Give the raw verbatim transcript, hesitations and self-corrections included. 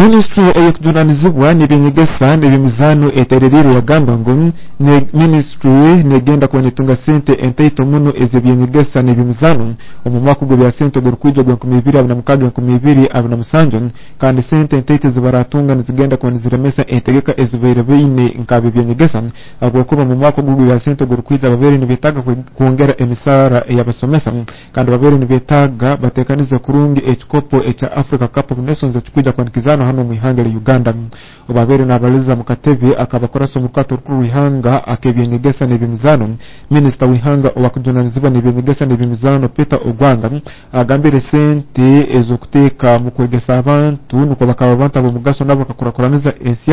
Minisitule ey'okujunanizibwa n'ebyenyegesa n'ebyemizaano etereriire yagamba ngu minisitule negenda kuba netunga sente entaito muno ez'ebyenyegesa n'ebyemizaano omu mwaka gw'ebya sente ogurukwija ogwa enkumi ibiri abiri na mukaaga enkumi ibiri abiri na musanju, kandi sente entaito ezibaratunga nizigenda kuba niziremesa entegeka ezibaire baine nk'ab'ebyenyegesa, habwokuba mu mwaka ogu gw'ebya sente ogurukwija babaire nibetaaga kwongera emisaara ey'abasomesa, kandi babaire nibetaaga batekanize kurungi ekikopo ekya Africa Cup of Nations ekikwija kuba nikizaanwa hanu omu ihanga lya Uganda. Obu nabaliza mu katebe akabakurasa omu rukato orukuru rw'ihanga ak'ebyenyegesa n'ebyemizaano, minisita w'ihanga owakujunanizibwa n'ebyenyegesa n'ebyemizaano Peter Ogwanga agambire sente ez'okuteeka mu kwegesa abantu nukwo bakaba abantu ab'omugaso nabo bakakurakuraniza ensi.